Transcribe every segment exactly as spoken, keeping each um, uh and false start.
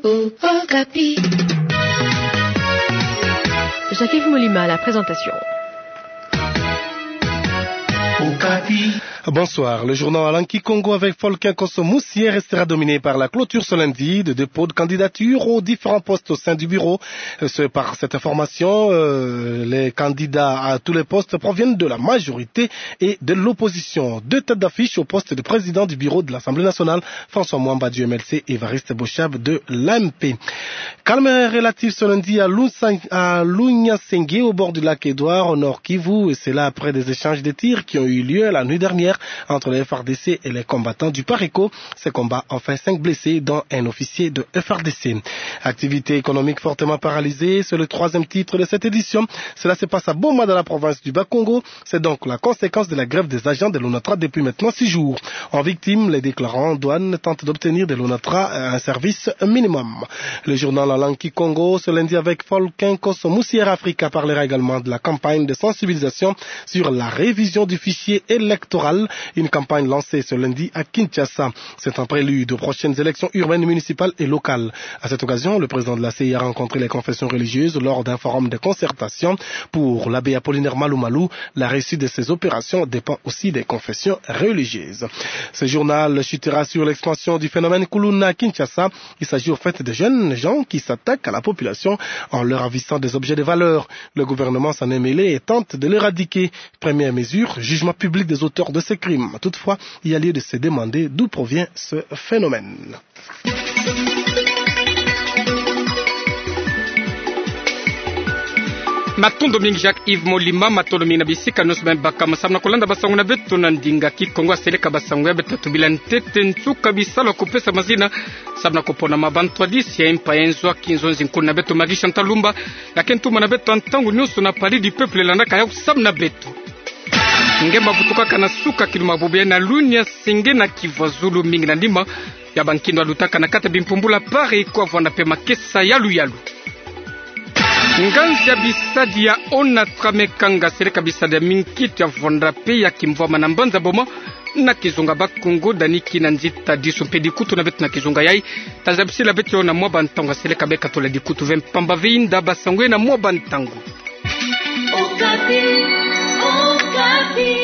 Okapi. Jacques-Yves Molima à la présentation. Okapi. Bonsoir. Le journal en langue kikongo avec Folkin Kosso Moussier restera dominé par la clôture ce lundi de dépôt de candidature aux différents postes au sein du bureau. Euh, ce, par cette information, euh, les candidats à tous les postes proviennent de la majorité et de l'opposition. Deux têtes d'affiche au poste de président du bureau de l'Assemblée nationale, François Mwamba du M L C, Évariste Boshab de l'A M P. Calme relatif ce lundi à Lunsa-, à Lunyasenge, au bord du lac Édouard, au Nord-Kivu, et cela après des échanges de tirs qui ont eu lieu la nuit dernière entre les F R D C et les combattants du Pareko. Ces combats ont fait cinq blessés, dont un officier de F R D C. Activité économique fortement paralysée, c'est le troisième titre de cette édition. Cela se passe à Boma, dans la province du Bas-Congo. C'est donc la conséquence de la grève des agents de l'ONATRA depuis maintenant six jours. En victime, les déclarants douane tentent d'obtenir de l'ONATRA un service minimum. Le journal en langue kikongo, ce lundi avec Folkin Kosso Moussier Africa, parlera également de la campagne de sensibilisation sur la révision du fichier électoral, une campagne lancée ce lundi à Kinshasa. C'est un prélude aux prochaines élections urbaines, municipales et locales. À cette occasion, le président de la C E I a rencontré les confessions religieuses lors d'un forum de concertation pour l'abbé Apollinaire Malumalu. La réussite de ces opérations dépend aussi des confessions religieuses. Ce journal chutera sur l'expansion du phénomène Kuluna à Kinshasa. Il s'agit au fait de jeunes gens qui s'attaquent à la population en leur ravissant des objets de valeur. Le gouvernement s'en est mêlé et tente de l'éradiquer. Première mesure, jugement public des auteurs de ces crimes. Toutefois, il y a lieu de se demander d'où provient ce phénomène. Matondo mingi Jacques-Yves Molima, matondo mingi na bisika nyonso beno bakama samu na kulanda basango na beto na ndinga kikongo. Seleka basango ya beto tatu bila ntete. Nsuka bisalu ya kupesa mazina samu na kuponama bantwadisi ya impa ya nzo ya kinzonzi, nkuna na beto Marie Chantal Lumba, ya ke ntumana beto ntangu nyonso na Palais du Peuple, landaka yawu samu na beto. Ngemba vutukaka na suka kilumbu ya bubu yayi na Lunyasenge na Kivu ya Zulu, mingi na nima ya bankindo ya lutaka na kati ya bimpumbulu ya Pareko, wavwanda mpe makesa yaluyalu. Nganzi ya bisadi ya ONATRA me kanga seleka bisadi ya minkitu ya vwanda mpe ya kimvwama na mbanza Boma, na kizunga Bas-Congo, Dani Kinanzi Tadisu mpe dikutu na beto na kizunga yayi. Tazabisila beto na mwa bantangu ya seleka beka tola dikutu ve mpamba ve inda basango na mwa bantangu. Okapi, Okapi.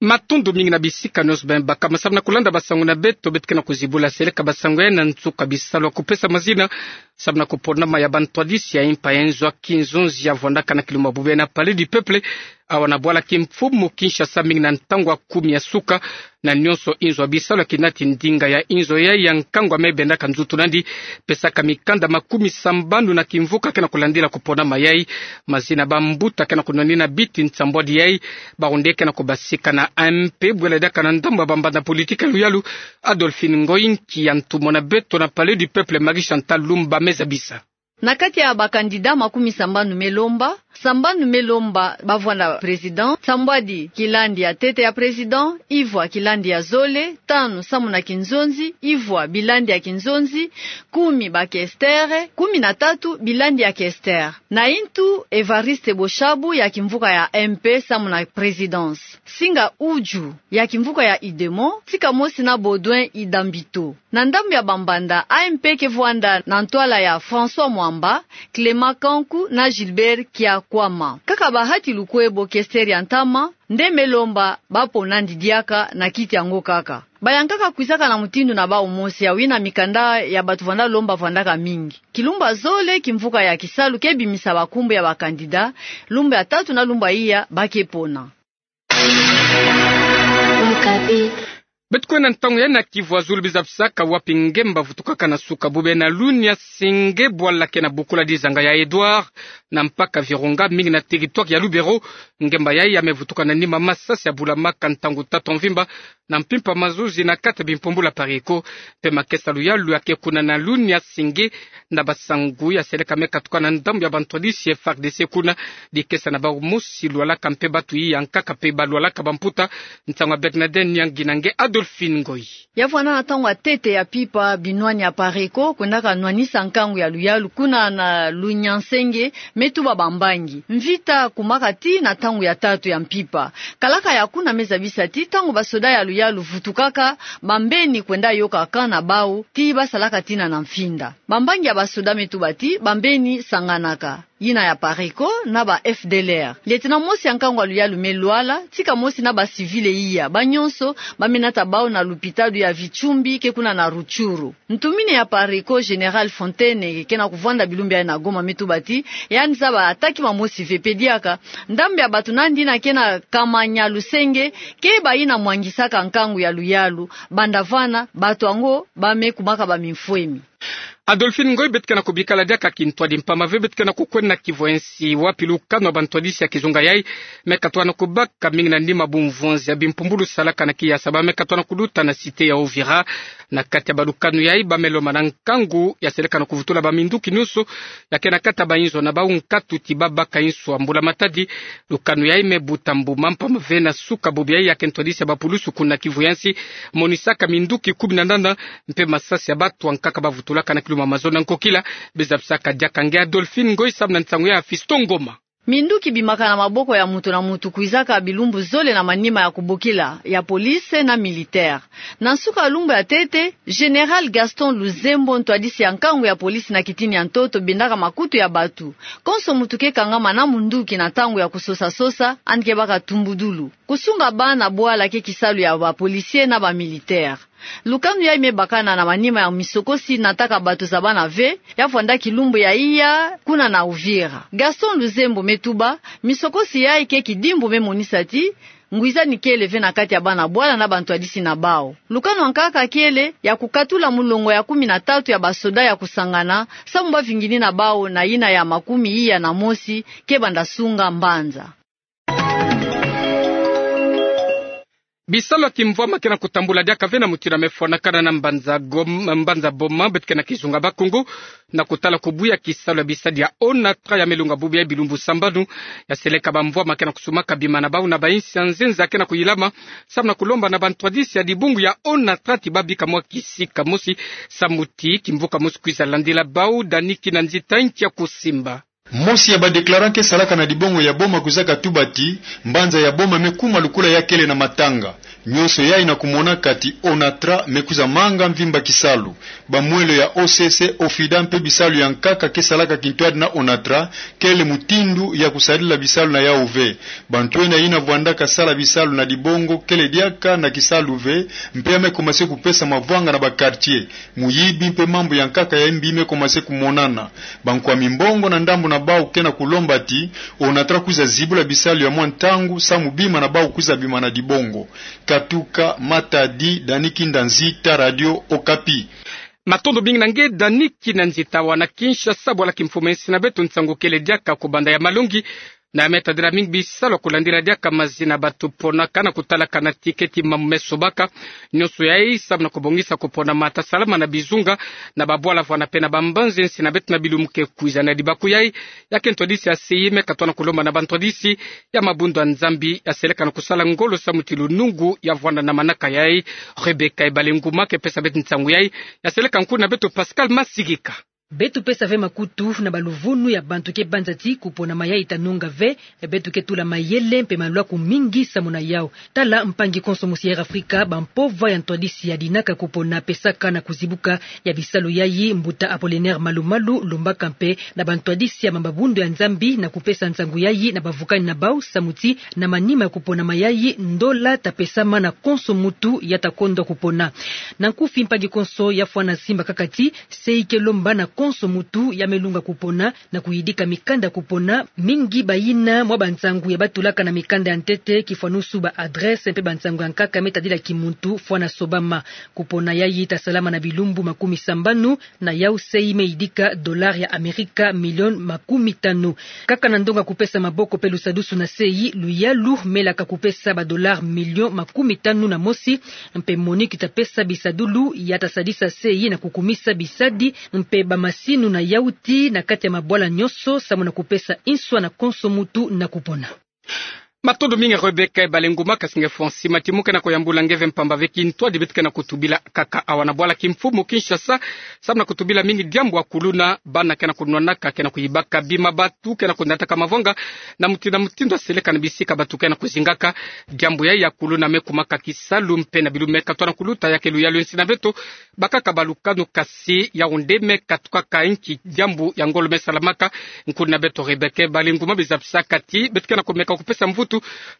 Matondo mingi na bisika nyonso beno bakama samu na kulanda basango na beto. Beto ke na kuzibula seleka basango yayi na nsuka bisalu ya kupesa mazina samu na kuponama ya bantwadisi ya impa ya nzo ya kinzonzi ya vwandaka na kilumbu ya bubu yayi na Palais du Peuple, awa na bwala kimfumu Kinshasa, mingi na ntangu ya kumi ya suka. Na nyonso inzo ya bisalu ya kinati ndinga ya inzo yayi ya nkangu ya me bendaka nzutu nandi, pesaka mikanda makumi sambanu na kimvuka ke na kulandila kuponama yayi. Mazina bambuta ke na kunwanina biti nsambwadi yayi. Barundi ke na kubasika na A M P, bwela diaka na ndambu ya bambanda politiki ya luyalu, Adolphine Ngoy, nki ya ntumwa na beto na Palais du Peuple, Marie Chantal Lumba me zabisa. Na kati ya bakandida makumi sambanu me lomba, sambanu me lomba bavwanda président, nsambwadi kilandi ya ntete ya président, ivwa kilandi ya zole, tanu samu na kinzonzi, ivwa bilandi ya kinzonzi, kumi bakestere, kumi na tatu bilandi ya kestere. Na intu, Évariste Boshabu ya kimvuka ya M P samu na présidence. Singa Uju ya kimvuka ya UDEMO, tika mosi na Baudouin Idambito. Na ndambu ya bambanda, A M P ke vwanda na ntwala ya François Mwamba, Clément Kanku na Gilbert Kiakwama. Kaka ba Hati Lukwebo, kestere ya ntama, nde me lomba bapona nandi diaka na kiti yango kaka. Bayankaka kwizaka na mutindu na bawu mosi ya wina mikanda ya batu vwanda lomba vwandaka mingi. Kilumbu ya zole, kimvuka ya kisalu ke bimisa bankumbu ya bakandida, lumbu ya tatu na lumbu ya iya ba ke pona. Okapi. Beto kwenda ntangu yayi na Kivu ya Zulu, biza bisaka wapi ngemba vutukaka na suka bubu yayi na Lunyasenge, bwala ke na bukula dizanga ya Édouard na mpaka Virunga, mingi na territoire ya Lubero. Ngemba yayi ya me vutuka na nima masasi ya bulamaka ntangu tatu ya mvimba na mpimpa mazuzi na kati ya bimpumbulu ya Pareko. Mpe makesa ya luyalu ya ke kuna na Lunyasenge, na basangu ya seleka me katuka na ndambu ya bantwadisi ya F A R D C kuna. Dikesa na bawu mosi lwalaka mpe batu iya nkaka mpe balwalaka bamputa. Nsangu ya Bernadette Nyangi na nge Ado Adolphine Ngoyi. Ya vwanda na ntangu ya ntete ya mpimpa, binwani ya Apareco kwendaka nwanisa nkangu ya luyalu kuna na Lunyansenge me tuba bambangi. Mvita kumaka tii na ntangu ya tatu ya mpimpa. Kalaka ya kuna me zabisa ti ntangu basoda ya luyalu vutukaka, bambeni kwenda yoka camp na bau ti basalaka tina na mfinda. Bambangi ya basoda me tuba ti bambeni sanganaka, yina ya Apareco na ba F D L R. Lieutenant mosi ya nkangu ya luyalu me lwala, tika mosi na ba civil iya. Banyonso ba me nata bau na lupitalu ya Vitsumbi ke kuna na Rutshuru. Ntumini ya Apareco, Général Fontaine, ke na kuvwanda bilumbu yayi na Goma, me tuba ti yandi zaba attaque mamosi ve, mpe diaka ndambu ya bato nandi yina ke na kamanya lusenge ke bayina mwangisaka nkangu ya luyalu. Banda vwanda, bato yango ba me kumaka bamimfwemi. Adolphine Ngoyi, beto ke na kubikala diaka kintwadi mpamba ve, beto ke na kukwenda na kivwensi wapi lukanu ya bantwadisi ya kizunga yayi me katuka na kubaka mingi na nima bumvonzi ya bimpumbulu salaka na kiyasa. Ba me katuka na kuluta na cité ya Uvira. Na kati ya balukanu yayi, ba me lomba na nkangu ya seleka na kuvutula baminduki nyonso ya ke na kati ya bainzo na bau nkatu ti babaka inswa. Mbula-matadi, lukanu yayi me buta mbuma mpamba ve. Na suka bubu yayi, ya ke ntwadisi ya bapulusu kuna Kivu ya Nsi monisaka minduki kumi na nana mpe masasi ya bato ya nkaka bavutulaka na kiluma mazono ya nkokila. Bizabisaka diaka nge Adolphine Ngoyi samu na nsangu ya Fiston Ngoma. Minduki bimaka na maboko ya moto na moto kwizaka bilumbu zole na manima ya kubokila ya police na militaire. Na nsuka ya lumbu ya ntete, Général Gaston Luzembo, ntwadisi ya nkangu ya police na kitini ya ntoto, bendaka makutu ya bato. Konso moto ke kangama na munduki na ntangu ya kusosa-sosa, yandi ke baka tumbudulu. Kusunga bana bwala ke kisalu ya ba policiers na ba militaires. Lukanu yayi me bakana na manima ya misokosi, nataka bato zabana ve, ya vwanda kilumbu ya iya kuna na Uvira. Gaston Luzembo me tuba, misokosi yayi ke kidimbu me monisa ti ngwizani kele ve na kati ya bana bwala na bantwadisi na bau. Lukanu ya nkaka kele ya kukatula mulongo ya kumi na tatu ya basoda ya kusangana, samu bavingini na bau na yina ya makumi iya na mosi ke banda sunga mbanza. Bisalu ya kimvwama ke na kutambula diaka ve na mutindu ya me fwanakana na mbanza Gom-, mbanza Boma, beto ke na kizunga Bakongo, na kutala kubuya kisalu ya bisadi ya ONATRA ya me longa bubu yayi bilumbu sambanu. Ya seleka bamvwama ke na kusumaka bima na bau na bainsi ya nzenza ke na kuyilama, samu na kulomba na bantwadisi ya dibungu ya ONATRA ti babika mwa kisika mosi, samu ti kimvuka mosi kwiza landila bau. Dani Kinanzita nkia kusimba. Mosi ya ba déclarant ke salaka na dibungu ya Boma kwizaka tuba ti mbanza ya Boma me kuma lukula ya kele na matanga. Nyonso yayi na kumonaka ti ONATRA me kwiza manga mvimba kisalu. Bamwelo ya OCC, OFIDA mpe bisalu ya nkaka ke salaka kintwadi na ONATRA kele mutindu ya kusadila bisalu na yau ve. Bantu ena yina vwandaka sala bisalu na dibungu kele diaka na kisalu ve, mpe ya me commencer kupesa mavwanga na ba quartier. Muyibi mpe mambu ya nkaka ya mbi me commencer kumonana. Bankwami mbongo na ndambu na bau ke na kulomba ti ONATRA kwiza zibula bisalu ya mwa ntangu samu bima na bau kwiza bima na dibungu. Katuka Matadi, Dani Kinanzita, Radio Okapi. Matondo mingi na nge Dani Kinanzita. Awa na Kinshasa, bwala kimfumu ya insi na beto, nsangu kele diaka kubanda ya malongi, na ya me tadila mingi bisalu ya kulandila diaka mazina bato ponaka na kutalaka na tiketi mambu me sobaka. Nyonso yayi samu na kubongisa kupona mata salama na bizunga, na babwala vwanda mpe na bambanza ya insi na beto na bilumbu ke kwiza. Na libaku yayi, ya ke ntwadisi ya CEI me katuka na kulomba na bantwadisi ya mabundu ya Nzambi ya seleka na kusala ngolo samu ti lunungu ya vwanda na manaka yayi. Rebecca Ebale Nguma ke pesa beto nsangu yayi. Ya seleka nkuna na beto Pascal Masigika. Beto pesa ve makutu na baluvunu ya bantu ke banza ti kupona mayayi ta nunga ve, beto ke tula mayele mpe malwaku mingi samu na yau. Tala mpangi konso mosi ya Air Africa, bampova ya ntwadisi ya dinaka kupona pesaka na kuzibuka ya bisalu yayi, mbuta Apollinaire Malu Malu, lombaka mpe na bantwadisi ya mabundu ya Nzambi na kupesa nsangu yayi na bavukani na bau samu ti na manima ya kupona mayayi, ndola ta pesama na konso muntu ya ta kondwa kupona. Na nkufi, mpangi konso ya fwana simba kaka ti CEI ke lomba na konso muntu ya me lunga kupona na kuyidika mikanda ya kupona, mingi bayina mwa bansangu ya batulaka na mikanda ya ntete, kifwanusu ba adresse mpe bansangu ya nkaka me tadila kimuntu fwana sobama. Kupona yayi ta salama na bilumbu makumi sambanu, na yau CEI me yidika dollar ya Amerika milioni makumi tanu. Kaka na ndonga kupesa maboko mpe lusadusu na CEI, luyalu me laka kupesa ba dollar milioni makumi tanu na mosi, mpe MONUC ta pesa bisadulu ya ta sadisa CEI na kukumisa bisadi mpe bamasinu na yau ti na kati ya mabwala nyonso samu na kupesa inswa na konso muntu na kupona. Matondo mingi Rebecca Balenguma. Kasi nge Francis Matimu kena kuyambula nge ve mpamba ve kintwadi beto kena kutubila kaka awa na bwala kimfumu Kinshasa. Samu na kutubila mingi diambu ya kuluna, bana kena kunwanaka, kena kuyibaka bima, bantu kena kunataka mavanga na mutindu na mutindu aseleka na bisika bantu kena kuzingaka. Diambu yayi ya kuluna me kumaka kisalu mpe na bilu me katwa na kuluta. Ya ke luyalu ya nsi na beto, bakaka balukanu, kasi yawu nde me katukaka inki diambu ya ngolo me salamaka. Nkulu na beto Rebecca Balenguma bizabisaka ti beto kena kumeka kupesa mvutu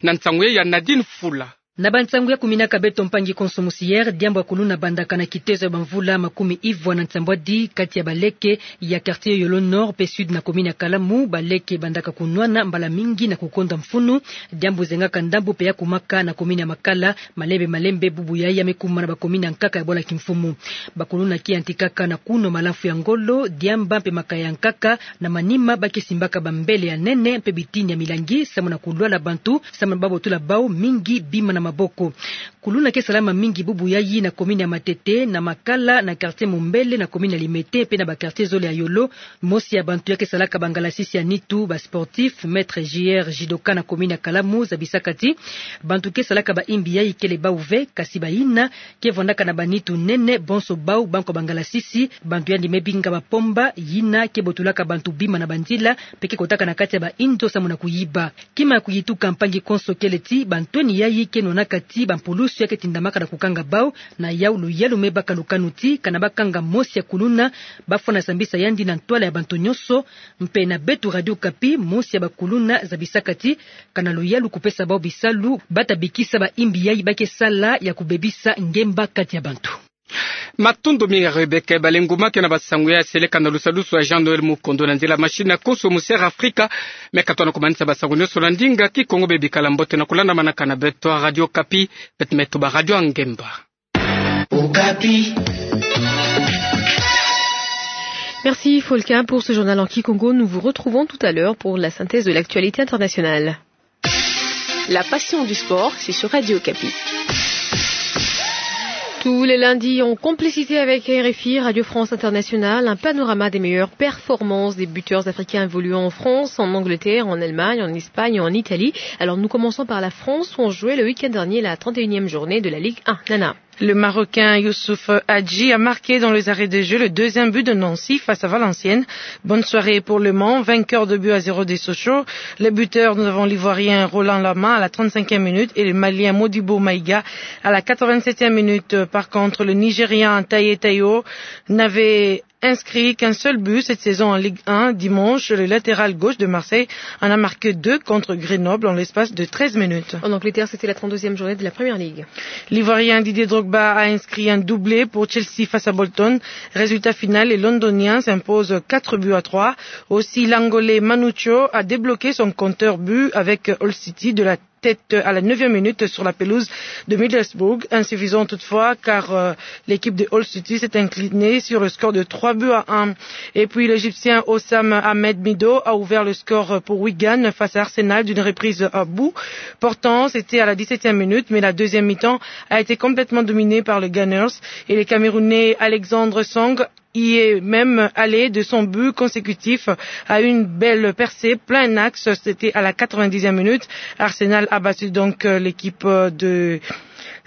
na nsangu yayi ya Nadine Fula. Na bansangu ya kuminaka beto mpangi konso musiere, diambu ya kuluna bandaka na kitezo ya bamvula makumi ivwa na nsambwadi kati ya baleke ya quartier Yolo Nord mpe Sud na commune ya Kalamu. Baleke bandaka kunwana mbala mingi na kukonda mfunu, diambu zengaka ndambu mpe ya kumaka na commune ya Makala. Malembe malembe bubu yayi ya me kuma na bacommune ya nkaka ya bwala kimfumu. Bakuluna ke yantikaka na kunwa malamfu ya ngolo, diamba mpe makaya ya nkaka. Na manima ba ke simbaka bambele ya nene mpe bitini ya milangi samu na kulwala bantu, samu na babotula bawu mingi bima na maboko. Kuluna ke salama mingi bubu yayi na commune ya Matete, na Makala, na quartier Mombele na commune ya Limete mpe na ba quartier zole ya Yolo. Mosi ya bantu ya ke salaka bangalasisi ya nitu, ba sportifs, maîtres, joueurs judoka na commune ya Kalamu, zabisaka ti bantu ke salaka ba imbi yayi kele bawu ve, kasi bayina ke vwandaka na banitu nene, bonso bawu bankwa bangalasisi. Bantu yandi me binga bapomba, yina ke botulaka bantu bima na banzila mpe ke kotaka na kati ya bainzo samu na kuyiba. Kima ya kuyituka mpangi konso kele ti bantweni yayi ke nwanaka ti bampulusu ya ke tindamaka na kukanga bawu. Na yawu luyalu me baka lukanu ti kana bakanga mosi ya kuluna, bafwa na sambisa yandi na ntwala ya bantu nyonso. Mpe na beto Radio Okapi, mosi ya bakuluna zabisaka ti kana luyalu kupesa bawu bisalu, bata bikisa ba imbi yayi ba ke sala ya kubebisa ngemba kati ya bantu. Matondo mingi Rebecca Balenguma. Ke na basangu yayi seleka na lusadusu ya Jean Noël Mukondo, na nzila machine ya konso musiere Afrika. Me katwa na kumanisa basangu nyonso na ndinga Kikongo. Bebikala mbote na kulandamanaka na beto Radio Okapi, beto me tuba radio ya ngemba. Okapi. Merci Folka pour ce journal en kikongo. Nous vous retrouvons tout à l'heure pour la synthèse de l'actualité internationale. La passion du sport, c'est sur Radio Okapi. Tous les lundis, en complicité avec R F I, Radio France Internationale, un panorama des meilleures performances des buteurs africains évoluant en France, en Angleterre, en Allemagne, en Espagne et en Italie. Alors nous commençons par la France, où on jouait le week-end dernier la trente et unième journée de la Ligue un. Nana. Le Marocain Youssouf Hadji a marqué dans les arrêts de jeu le deuxième but de Nancy face à Valenciennes. Bonne soirée pour le Mans, vainqueur de buts à zéro des Sochaux. Les buteurs, nous avons l'Ivoirien Roland Lama à la trente-cinquième minute et le Malien Modibo Maïga à la quatre-vingt-septième minute. Par contre, le Nigérian Taye Tayo n'avait inscrit qu'un seul but cette saison en Ligue un. Dimanche, le latéral gauche de Marseille en a marqué deux contre Grenoble en l'espace de treize minutes. En Angleterre, c'était la trente-deuxième journée de la Première Ligue. L'Ivoirien Didier Drogba a inscrit un doublé pour Chelsea face à Bolton. Résultat final, les Londoniens s'imposent quatre buts à trois. Aussi, l'Angolais Manucho a débloqué son compteur but avec Hull City de la tête à la neuvième minute sur la pelouse de Middlesbrough. Insuffisant toutefois, car, euh, l'équipe de Hull City s'est inclinée sur le score de trois buts à un. Et puis, l'Égyptien Hossam Ahmed Mido a ouvert le score pour Wigan face à Arsenal d'une reprise à bout portant. C'était à la dix-septième minute, mais la deuxième mi-temps a été complètement dominée par les Gunners et le Camerounais Alexandre Song y est même allé de son but consécutif à une belle percée, plein axe, c'était à la quatre-vingt-dixième minute. Arsenal a battu donc, euh, l'équipe, euh, de,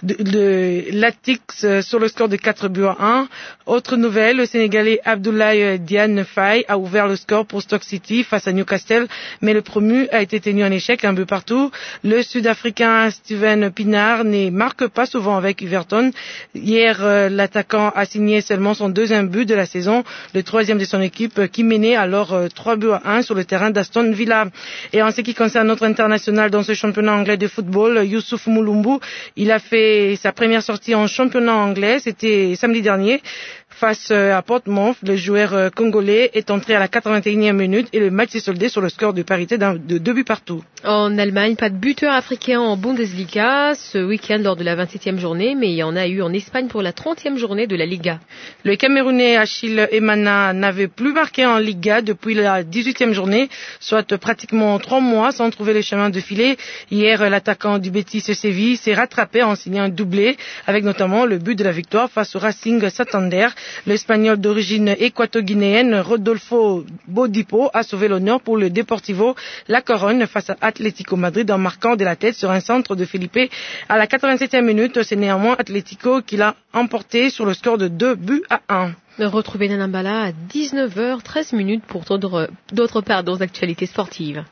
de, de l'Atix, euh, sur le score de quatre buts à un. Autre nouvelle, le Sénégalais Abdoulaye, euh, Diane Faye a ouvert le score pour Stoke City face à Newcastle, mais le promu a été tenu en échec, un but partout. Le Sud-Africain Steven Pienaar ne marque pas souvent avec Everton. Hier, euh, l'attaquant a signé seulement son deuxième but de la saison, le troisième de son équipe, euh, qui menait alors, euh, trois buts à un sur le terrain d'Aston Villa. Et en ce qui concerne notre international dans ce championnat anglais de football, Youssouf Mulumbu, il a fait sa première sortie en championnat anglais, c'était samedi dernier, face, euh, à Portsmouth. Le joueur, euh, congolais est entré à la quatre-vingt-unième minute et le match s'est soldé sur le score de parité d'un, de deux buts partout. En Allemagne, pas de buteur africain en Bundesliga ce week-end lors de la vingt-septième journée, mais il y en a eu en Espagne pour la trentième journée de la Liga. Le Camerounais Achille Emana n'avait plus marqué en Liga depuis la dix-huitième journée, soit pratiquement trois mois sans trouver le chemin de filet. Hier, l'attaquant du Betis Séville s'est rattrapé en signant un doublé, avec notamment le but de la victoire face au Racing Santander. L'Espagnol d'origine équato-guinéenne Rodolfo Bodipo a sauvé l'honneur pour le Deportivo La Coruña face à Atlético Madrid en marquant de la tête sur un centre de Felipe à la quatre-vingt-septième minute. C'est néanmoins Atlético qui l'a emporté sur le score de deux buts à un. Retrouvez Nana Mbala à dix-neuf heures treize minutes pour d'autres, d'autres, pardon, actualités sportives.